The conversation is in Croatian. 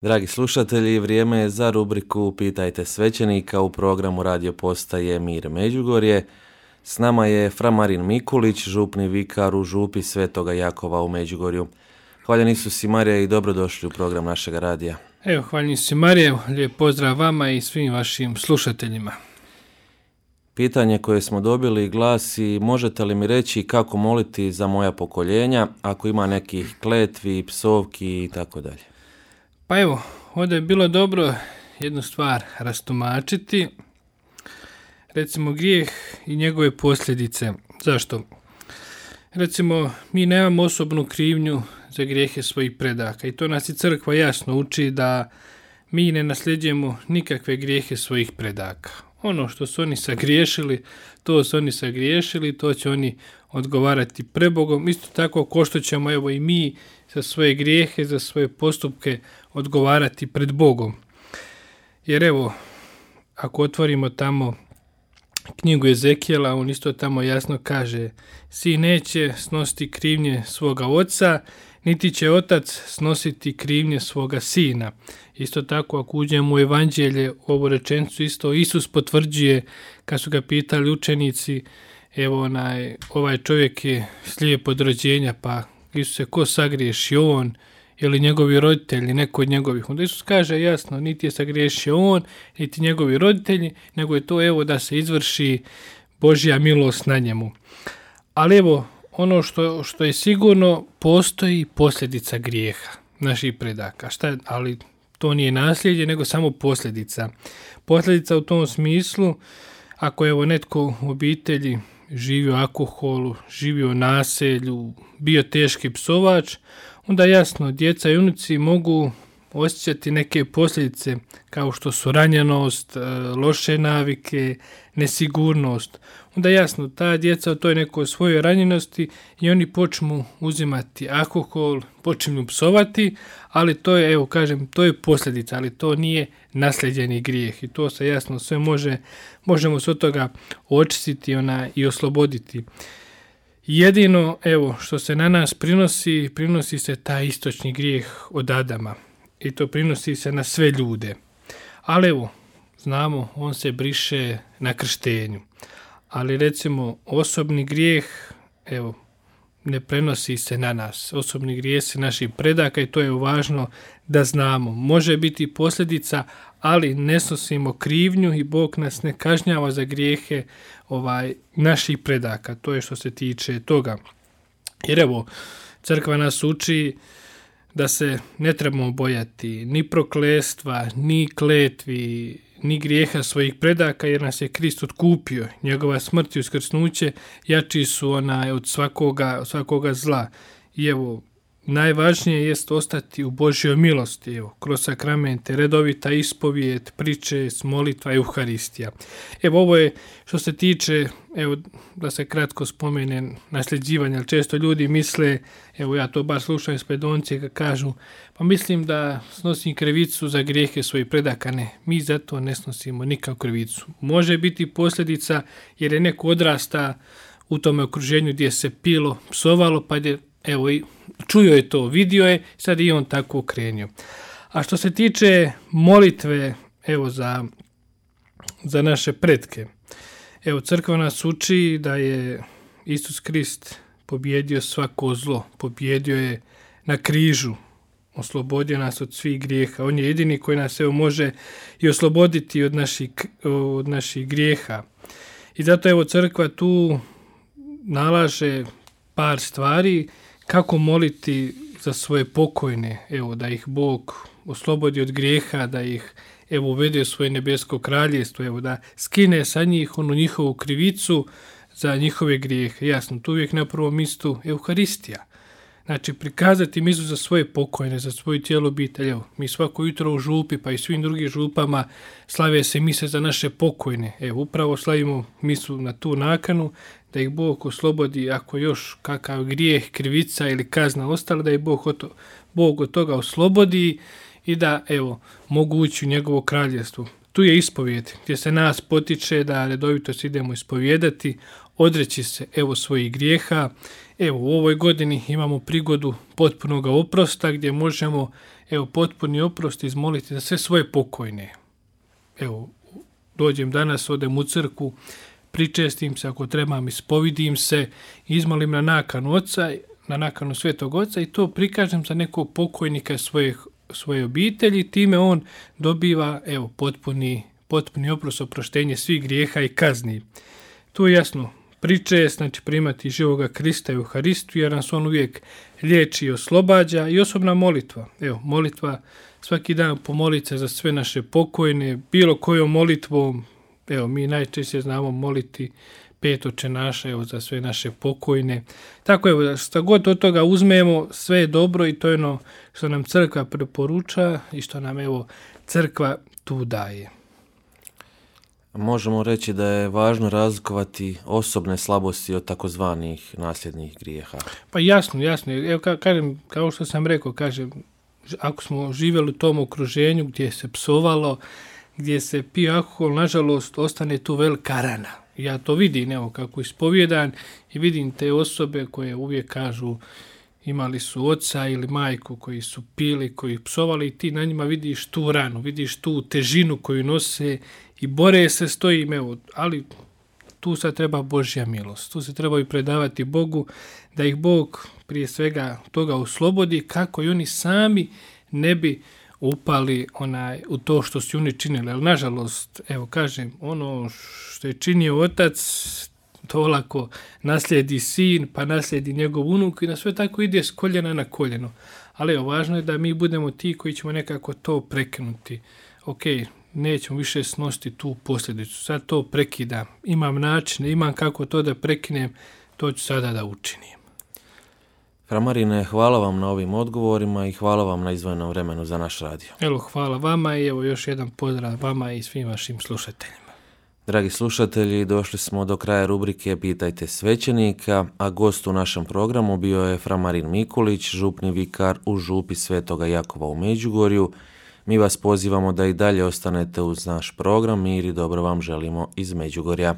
Dragi slušatelji, vrijeme je za rubriku Pitajte svećenika u programu radio postaje Mir Međugorje. S nama je fra Marin Mikulić, župni vikar u župi Svetoga Jakova u Međugorju. Hvaljen Isus i Marija i dobrodošli u program našega radija. Evo, hvaljen Isus i Marija, lijep pozdrav vama i svim vašim slušateljima. Pitanje koje smo dobili glasi: možete li mi reći kako moliti za moja pokoljenja ako ima nekih kletvi, psovki i tako dalje? Pa evo, ovdje je bilo dobro jednu stvar rastumačiti. Recimo grijeh i njegove posljedice. Zašto? Recimo, mi nemamo osobnu krivnju za grijehe svojih predaka i to nas i crkva jasno uči da mi ne nasljeđujemo nikakve grijehe svojih predaka. Ono što su oni sagriješili, to su oni sagriješili, to će oni odgovarati pred Bogom. Isto tako ko što ćemo evo i mi za svoje grijehe, za svoje postupke odgovarati pred Bogom. Jer evo, ako otvorimo tamo knjigu Ezekijela, on isto tamo jasno kaže: sin neće snositi krivnje svoga oca, niti će otac snositi krivnje svoga sina. Isto tako, ako uđemo u evanđelje, ovu rečenicu isto Isus potvrđuje kad su ga pitali učenici: evo ovaj čovjek je slijep od rođenja, pa Isuse, ko sagriješio, on ili njegovi roditelji, neko od njegovih? Onda Isus kaže jasno, niti je sagriješio on, niti njegovi roditelji, nego je to evo da se izvrši Božja milost na njemu. Ali evo, ono što je sigurno, postoji posljedica grijeha naših predaka. Ali to nije nasljeđe, nego samo posljedica. Posljedica u tom smislu, ako evo netko u obitelji živio alkoholu, živio naselju, bio teški psovač, onda jasno, djeca i unuci mogu osjećati neke posljedice kao što su ranjenost, loše navike, nesigurnost. Onda jasno, ta djeca u toj nekoj svojoj ranjenosti i oni počnu uzimati alkohol, počnu psovati, ali to je, evo kažem, to je posljedica, ali to nije nasljeđeni grijeh i to se jasno sve možemo se od toga očistiti i osloboditi. Jedino, evo, što se na nas prinosi se taj istočni grijeh od Adama i to prinosi se na sve ljude. Ali evo, znamo, on se briše na krštenju. Ali recimo, osobni grijeh, evo, ne prenosi se na nas. Osobni grijesi naših predaka i to je važno da znamo. Može biti posljedica, ali ne snosimo krivnju i Bog nas ne kažnjava za grijehe naših predaka. To je što se tiče toga. Jer evo, crkva nas uči da se ne trebamo bojati ni prokletstva, ni kletvi, ni grijeha svojih predaka, jer nas je Krist otkupio. Njegova smrt i uskrsnuće jači su od svakoga zla. I evo, najvažnije jest ostati u Božjoj milosti, evo, kroz sakramente, redovita ispovijed, priče, molitva i Euharistija. Evo, ovo je što se tiče, evo, da se kratko spomene nasljeđivanja, ali često ljudi misle, evo ja to bar slušam iz predoncije kad kažu, pa mislim da snosim krivicu za grijehe svojih predaka. Ne, mi zato ne snosimo nikakvu krivicu. Može biti posljedica jer je neko odrasta u tome okruženju gdje se pilo, psovalo, pa je evo, čuo je to, vidio je, sad i on tako okrenio. A što se tiče molitve, evo, za naše pretke, evo, crkva nas uči da je Isus Krist pobjedio svako zlo, pobjedio je na križu, oslobodio nas od svih grijeha. On je jedini koji nas evo može i osloboditi od naših grijeha. I zato evo crkva tu nalaže par stvari kako moliti za svoje pokojne, evo, da ih Bog oslobodi od grijeha, da ih evo uvede u svoje nebesko kraljestvo, evo, da skine sa njih onu njihovu krivicu za njihove grijehe. Jasno, tu uvijek na prvom mjestu Euharistija. Znači, prikazati misu za svoje pokojne, za svoju cijelu obitelj. Evo, mi svako jutro u župi, pa i svim drugim župama slave se mise za naše pokojne. Evo, upravo slavimo misu na tu nakanu, da ih Bog oslobodi ako još kakav grijeh, krivica ili kazna ostala, da ih Bog od toga oslobodi i da, evo, mogu ući u njegovo kraljestvo. Tu je ispovijed, gdje se nas potiče da redovito se idemo ispovijedati, odreći se, evo, svojih grijeha, Evo, u ovoj godini imamo prigodu potpunog oprosta gdje možemo, potpuni oprost izmoliti za sve svoje pokojne. Evo, dođem danas, odem u crkvu, pričestim se, ako trebam, ispovidim se, izmolim na nakanu Oca, na nakanu Svetog Oca i to prikažem za nekog pokojnika svoje obitelji, time on dobiva potpuni oprost, oproštenje svih grijeha i kazni. To je jasno, pričest, znači primati živoga Krista i Euharistiju, jer nas on uvijek liječi i oslobađa, i osobna molitva. Evo, molitva, svaki dan pomoliti se za sve naše pokojne, bilo kojom molitvom. Evo, mi najčešće znamo moliti 5 Oče naše, za sve naše pokojne. Tako evo, što god od toga uzmemo, sve je dobro i to je ono što nam crkva preporuča i što nam crkva tu daje. Možemo reći da je važno razlikovati osobne slabosti od takozvanih nasljednih grijeha. Pa jasno. Evo, kažem, kao što sam rekao, ako smo živjeli u tom okruženju gdje se psovalo, gdje se pio alkohol, nažalost, ostane tu velika rana. Ja to vidim, evo, kako ispovjedan i vidim te osobe koje uvijek kažu imali su oca ili majku koji su pili, koji psovali i ti na njima vidiš tu ranu, vidiš tu težinu koju nose i bore se s tojim, ali tu sad treba Božja milost. Tu se trebaju predavati Bogu, da ih Bog prije svega toga oslobodi, kako i oni sami ne bi upali u to što su oni činili. Ali nažalost, evo kažem, ono što je činio otac, to lako naslijedi sin, pa naslijedi njegov unuk i na sve tako ide s koljena na koljeno. Ali evo, važno je da mi budemo ti koji ćemo nekako to prekinuti. Ok, nećemo više snositi tu posljedicu, sad to prekidam. Imam načine, imam kako to da prekinem, to ću sada da učinim. Fra Marine, hvala vam na ovim odgovorima i hvala vam na izdvojenom vremenu za naš radio. Evo, hvala vama i evo još jedan pozdrav vama i svim vašim slušateljima. Dragi slušatelji, došli smo do kraja rubrike Pitajte svećenika, a gost u našem programu bio je fra Marin Mikulić, župni vikar u župi Svetoga Jakova u Međugorju. Mi vas pozivamo da i dalje ostanete uz naš program. Mir i dobro vam želimo iz Međugorja.